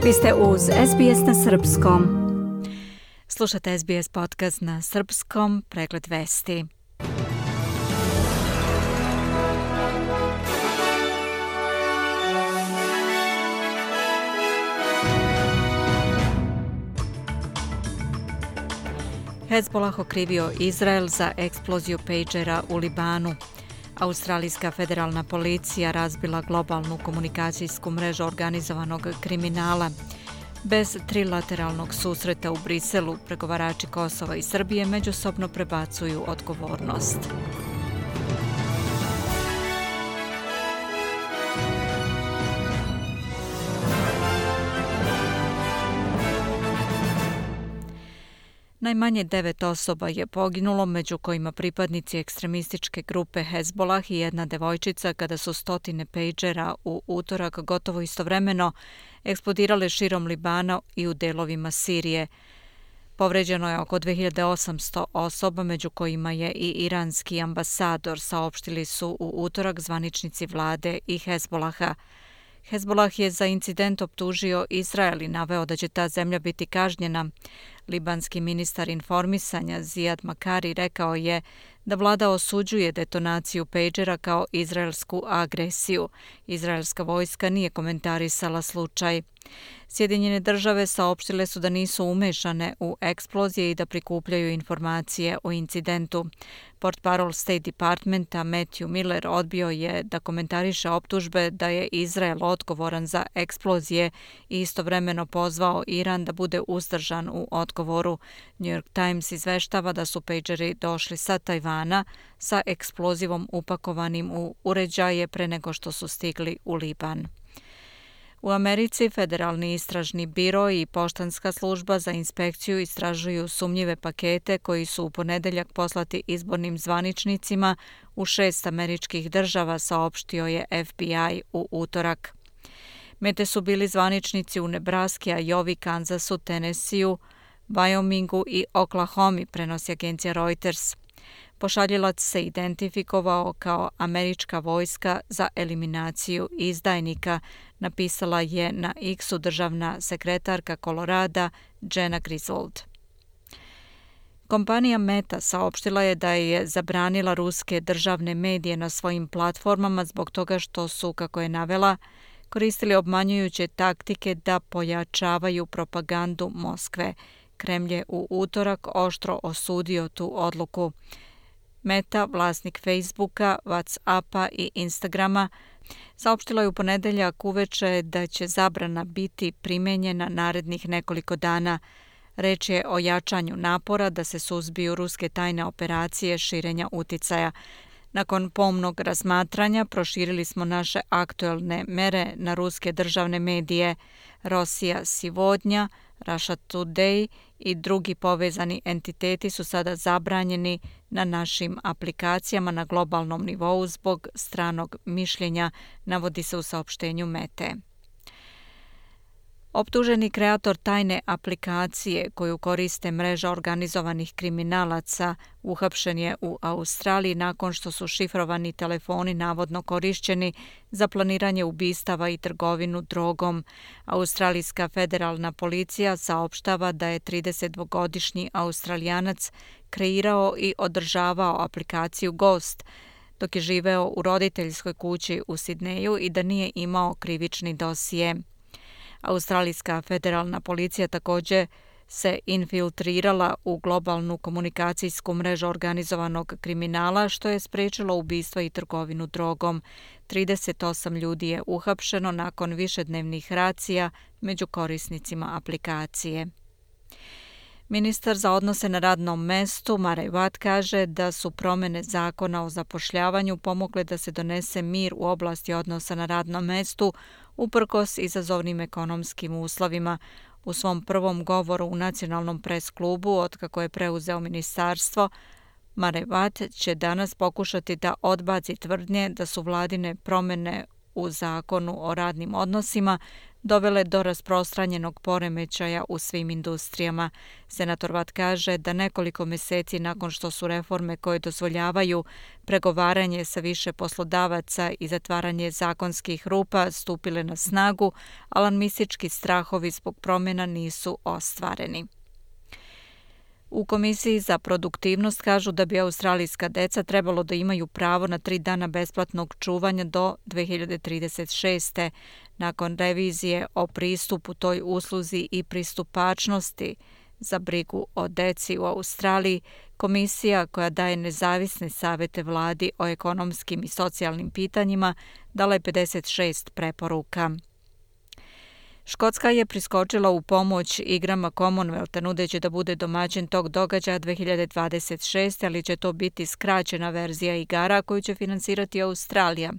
Vi ste uz SBS na srpskom. Slušate SBS podcast na srpskom, pregled vesti. Hezbollah okrivio Izrael za eksploziju pejđera u Libanu. Australijska federalna policija razbila globalnu komunikacijsku mrežu organizovanog kriminala. Bez trilateralnog susreta u Briselu, pregovarači Kosova i Srbije međusobno prebacuju odgovornost. Najmanje 9 osoba je poginulo, među kojima pripadnici ekstremističke grupe Hezbollah i jedna devojčica, kada su stotine pejđera u utorak gotovo istovremeno eksplodirale širom Libana i u delovima Sirije. Povređeno je oko 2800 osoba, među kojima je i iranski ambasador, saopštili su u utorak zvaničnici vlade i Hezbollaha. Hezbollah je za incident optužio Izrael i naveo da će ta zemlja biti kažnjena. Libanski ministar informisanja Zijad Makari rekao je da vlada osuđuje detonaciju pejđera kao izraelsku agresiju. Izraelska vojska nije komentarisala slučaj. Sjedinjene države saopštile su da nisu umešane u eksplozije i da prikupljaju informacije o incidentu. Portparol State Departmenta Matthew Miller odbio je da komentariše optužbe da je Izrael odgovoran za eksplozije i istovremeno pozvao Iran da bude uzdržan u odgovoru. New York Times izveštava da su pejđeri došli sa Tajvana sa eksplozivom upakovanim u uređaje pre nego što su stigli u Liban. U Americi Federalni istražni biro i poštanska služba za inspekciju istražuju sumnjive pakete koji su u ponedeljak poslati izbornim zvaničnicima u 6 američkih država, saopštio je FBI u utorak. Mete su bili zvaničnici u Nebraski, Iowi, Kansasu, Tennesseeu, Wyomingu i Oklahomi, prenosi agencija Reuters. Pošaljilac se identifikovao kao američka vojska za eliminaciju izdajnika, napisala je na X-u državna sekretarka Kolorada Jena Griswold. Kompanija Meta saopštila je da je zabranila ruske državne medije na svojim platformama zbog toga što su, kako je navela, koristili obmanjujuće taktike da pojačavaju propagandu Moskve. Kremlj je u utorak oštro osudio tu odluku. Meta, vlasnik Facebooka, WhatsAppa i Instagrama, saopštila je u ponedeljak uveče da će zabrana biti primenjena narednih nekoliko dana. Reč je o jačanju napora da se suzbiju ruske tajne operacije širenja uticaja. Nakon pomnog razmatranja proširili smo naše aktuelne mere na ruske državne medije. Rosija Sivodnja, Russia Today i drugi povezani entiteti su sada zabranjeni na našim aplikacijama na globalnom nivou zbog stranog mišljenja, navodi se u saopštenju Mete. Optuženi kreator tajne aplikacije koju koriste mreža organizovanih kriminalaca uhapšen je u Australiji nakon što su šifrovani telefoni navodno korišćeni za planiranje ubistava i trgovinu drogom. Australijska federalna policija saopštava da je 32-godišnji Australijanac kreirao i održavao aplikaciju Ghost dok je živeo u roditeljskoj kući u Sidneju i da nije imao krivični dosije. Australijska federalna policija također se infiltrirala u globalnu komunikacijsku mrežu organizovanog kriminala, što je spriječilo ubistva i trgovinu drogom. 38 ljudi je uhapšeno nakon višednevnih racija među korisnicima aplikacije. Ministar za odnose na radnom mestu Murray Watt kaže da su promjene zakona o zapošljavanju pomogle da se donese mir u oblasti odnosa na radnom mestu uprkos izazovnim ekonomskim uslovima. U svom prvom govoru u Nacionalnom pres klubu, otkako je preuzeo ministarstvo, Murray Watt će danas pokušati da odbaci tvrdnje da su vladine promjene u zakonu o radnim odnosima dovele do rasprostranjenog poremećaja u svim industrijama. Senator Watt kaže da nekoliko meseci nakon što su reforme koje dozvoljavaju pregovaranje sa više poslodavaca i zatvaranje zakonskih rupa stupile na snagu, alarmistički strahovi zbog promjena nisu ostvareni. U Komisiji za produktivnost kažu da bi australijska deca trebalo da imaju pravo na 3 dana besplatnog čuvanja do 2036. Nakon revizije o pristupu toj usluzi i pristupačnosti za brigu o deci u Australiji, komisija koja daje nezavisne savete vladi o ekonomskim i socijalnim pitanjima dala je 56 preporuka. Škotska je priskočila u pomoć igrama Commonwealtha nudeći da bude domaćin tog događaja 2026, ali će to biti skraćena verzija igara koju će finansirati Australija.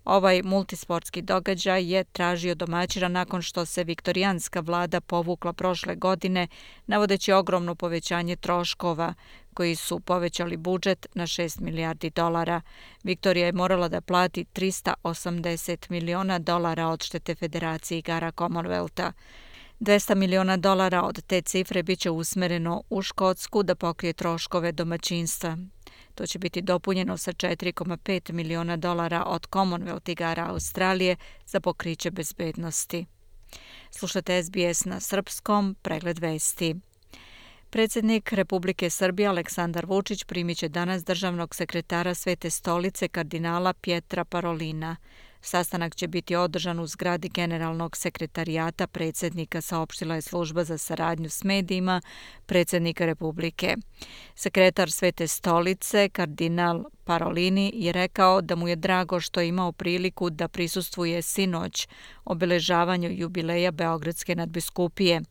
Ovaj multisportski događaj je tražio domaćina nakon što se viktorijanska vlada povukla prošle godine, navodeći ogromno povećanje troškova koji su povećali budžet na $6 milijardi. Viktorija je morala da plati $380 miliona odštete Federaciji igara Commonwealtha. $200 miliona od te cifre biće usmereno u Škotsku da pokrije troškove domaćinstva. To će biti dopunjeno sa $4,5 miliona od Commonwealth igara Australije za pokriće bezbednosti. Slušate SBS na srpskom, pregled vesti. Predsjednik Republike Srbije Aleksandar Vučić primit će danas državnog sekretara Svete stolice kardinala Pietra Parolina. Sastanak će biti održan u zgradi Generalnog sekretarijata predsjednika, saopštila je služba za saradnju s medijima predsjednika Republike. Sekretar Svete stolice, kardinal Parolini, je rekao da mu je drago što je imao priliku da prisustvuje sinoć obeležavanju jubileja Beogradske nadbiskupije.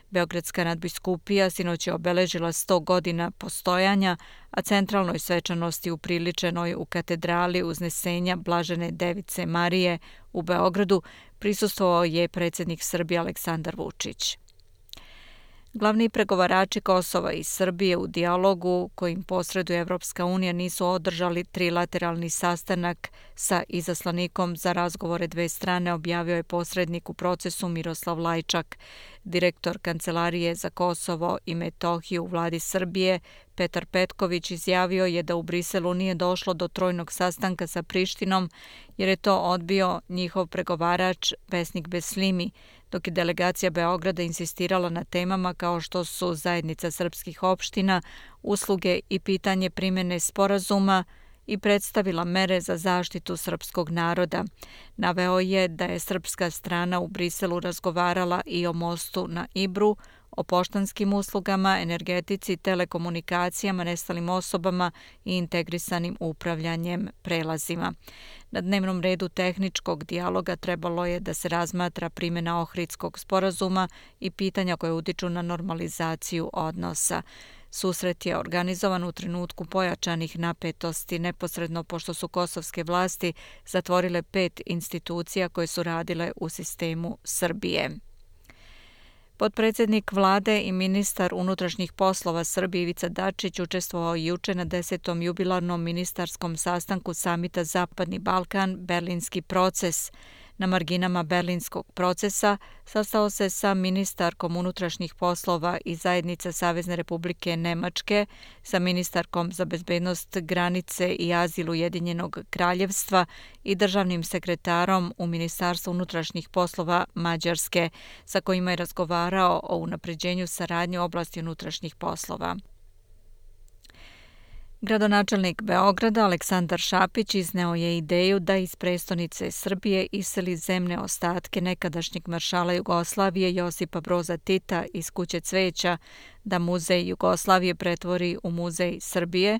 Beogradska nadbiskupija sinoć je obeležila 100 godina postojanja, a centralnoj svečanosti upriličenoj u katedrali Uznesenja Blažene Device Marije u Beogradu prisustvovao je predsjednik Srbije Aleksandar Vučić. Glavni pregovarači Kosova i Srbije u dijalogu kojim posreduje Evropska unija nisu održali trilateralni sastanak sa izaslanikom za razgovore dve strane, objavio je posrednik u procesu Miroslav Lajčak. Direktor Kancelarije za Kosovo i Metohiju u vladi Srbije Petar Petković izjavio je da u Briselu nije došlo do trojnog sastanka sa Prištinom jer je to odbio njihov pregovarač Vesnik Beslimi, dok je delegacija Beograda insistirala na temama kao što su zajednica srpskih opština, usluge i pitanje primjene sporazuma i predstavila mere za zaštitu srpskog naroda. Naveo je da je srpska strana u Briselu razgovarala i o mostu na Ibru, o poštanskim uslugama, energetici, telekomunikacijama, nestalim osobama i integrisanim upravljanjem prelazima. Na dnevnom redu tehničkog dijaloga trebalo je da se razmatra primjena Ohridskog sporazuma i pitanja koje utiču na normalizaciju odnosa. Susret je organizovan u trenutku pojačanih napetosti, neposredno pošto su kosovske vlasti zatvorile 5 institucija koje su radile u sistemu Srbije. Potpredsjednik vlade i ministar unutrašnjih poslova Srbije Ivica Dačić učestvovao juče na 10. jubilarnom ministarskom sastanku samita Zapadni Balkan, Berlinski proces. Na marginama Berlinskog procesa sastao se sa ministarkom unutrašnjih poslova i zajednica Savezne Republike Nemačke, sa ministarkom za bezbednost granice i azil Ujedinjenog kraljevstva i državnim sekretarom u Ministarstvu unutrašnjih poslova Mađarske, sa kojima je razgovarao o unapređenju saradnje u oblasti unutrašnjih poslova. Gradonačelnik Beograda Aleksandar Šapić izneo je ideju da iz prestonice Srbije iseli zemne ostatke nekadašnjeg maršala Jugoslavije Josipa Broza Tita iz Kuće cveća, da muzej Jugoslavije pretvori u muzej Srbije,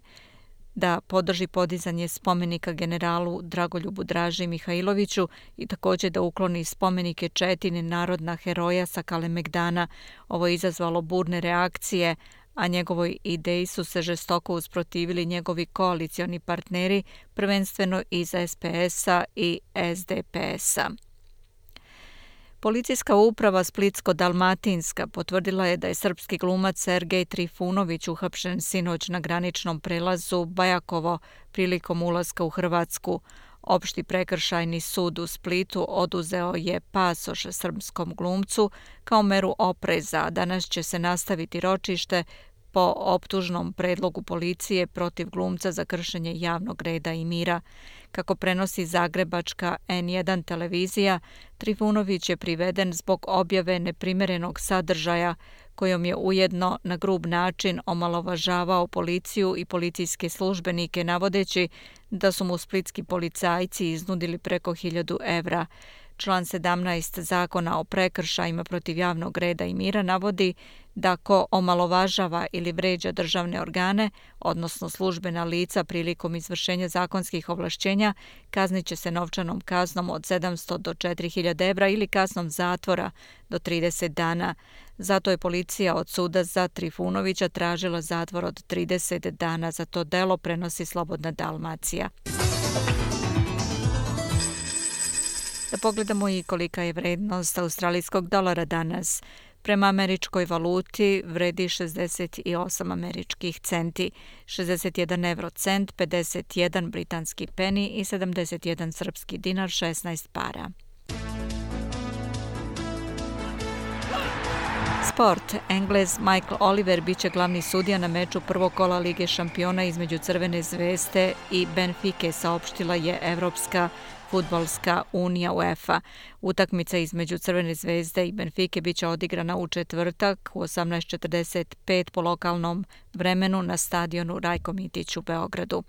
da podrži podizanje spomenika generalu Dragoljubu Draži Mihajloviću i također da ukloni spomenike 4 narodna heroja sa Kalemegdana. Ovo je izazvalo burne reakcije, a njegovoj ideji su se žestoko usprotivili njegovi koalicioni partneri, prvenstveno iz SPS-a i SDP-a. Policijska uprava Splitsko-Dalmatinska potvrdila je da je srpski glumac Sergej Trifunović uhapšen sinoć na graničnom prelazu Bajakovo prilikom ulaska u Hrvatsku. Opšti prekršajni sud u Splitu oduzeo je pasoš srpskom glumcu kao meru opreza. Danas će se nastaviti ročište po optužnom predlogu policije protiv glumca za kršenje javnog reda i mira. Kako prenosi zagrebačka N1 televizija, Trifunović je priveden zbog objave neprimerenog sadržaja kojom je ujedno na grub način omalovažavao policiju i policijske službenike navodeći da su mu splitski policajci iznudili preko 1.000 evra. Član 17 Zakona o prekršajima protiv javnog reda i mira navodi da ko omalovažava ili vređa državne organe, odnosno službena lica prilikom izvršenja zakonskih ovlašćenja, kaznit će se novčanom kaznom od 700 do 4.000 evra ili kaznom zatvora do 30 dana. Zato je policija od suda za Trifunovića tražila zatvor od 30 dana za to delo, prenosi Slobodna Dalmacija. Da pogledamo i kolika je vrednost australijskog dolara danas. Prema američkoj valuti vredi 68 američkih centi, 61 eurocent, 51 britanski peni i 71 srpski dinar, 16 para. Sport. Englez Michael Oliver biće glavni sudija na meču prvog kola Lige šampiona između Crvene zvezde i Benfike, saopštila je Evropska fudbalska unija UEFA. Utakmica između Crvene zvezde i Benfike biće odigrana u četvrtak u 18:45 po lokalnom vremenu na stadionu Rajko Mitić u Beogradu.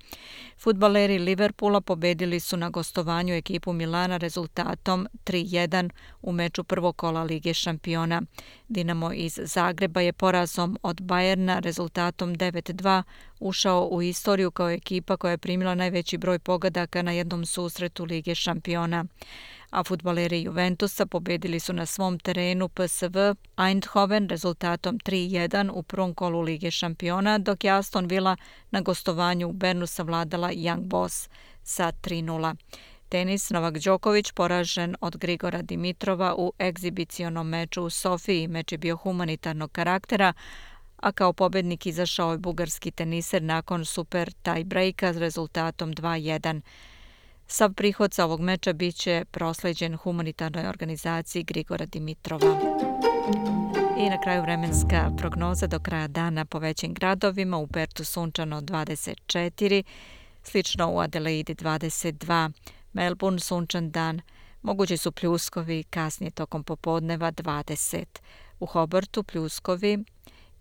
Fudbaleri Liverpoola pobedili su na gostovanju ekipu Milana rezultatom 3:1 u meču prvog kola Lige šampiona. Dinamo iz Zagreba je porazom od Bajerna rezultatom 9:2 ušao u istoriju kao ekipa koja je primila najveći broj pogodaka na jednom susretu Lige šampiona. A fudbaleri Juventusa pobedili su na svom terenu PSV Eindhoven rezultatom 3:1 u prvom kolu Lige šampiona, dok je Aston Villa na gostovanju u Bernu savladala Young Boys sa 3:0. Tenis. Novak Đoković poražen od Grigora Dimitrova u egzibicionom meču u Sofiji. Meč je bio humanitarnog karaktera, a kao pobednik izašao je bugarski teniser nakon super tie-breaka s rezultatom 2:1. Sav prihod sa ovog meča biće prosleđen humanitarnoj organizaciji Grigora Dimitrova. I na kraju vremenska prognoza do kraja dana po većim gradovima. U Pertu sunčano 24, slično u Adelaidi 22, Melbourne sunčan dan, mogući su pljuskovi kasnije tokom popodneva 20, u Hobartu pljuskovi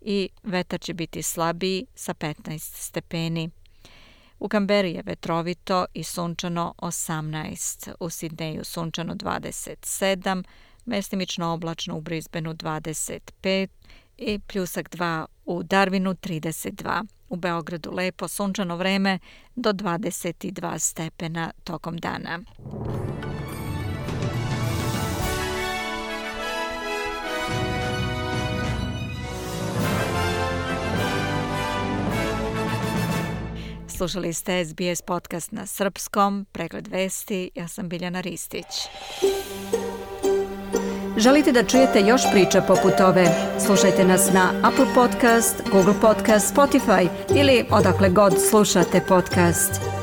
i vetar će biti slabiji sa 15 stepeni. U Kamberi je vetrovito i sunčano 18, u Sidneju sunčano 27, mestimično oblačno u Brisbaneu 25 i pljusak 2 u Darwinu 32. U Beogradu lepo sunčano vreme do 22 stepena tokom dana. Slušali ste SBS podcast na srpskom, pregled vesti, ja sam Biljana Ristić. Želite da čujete još priča poput ove? Slušajte nas na Apple Podcast, Google Podcast, Spotify ili odakle god slušate podcast.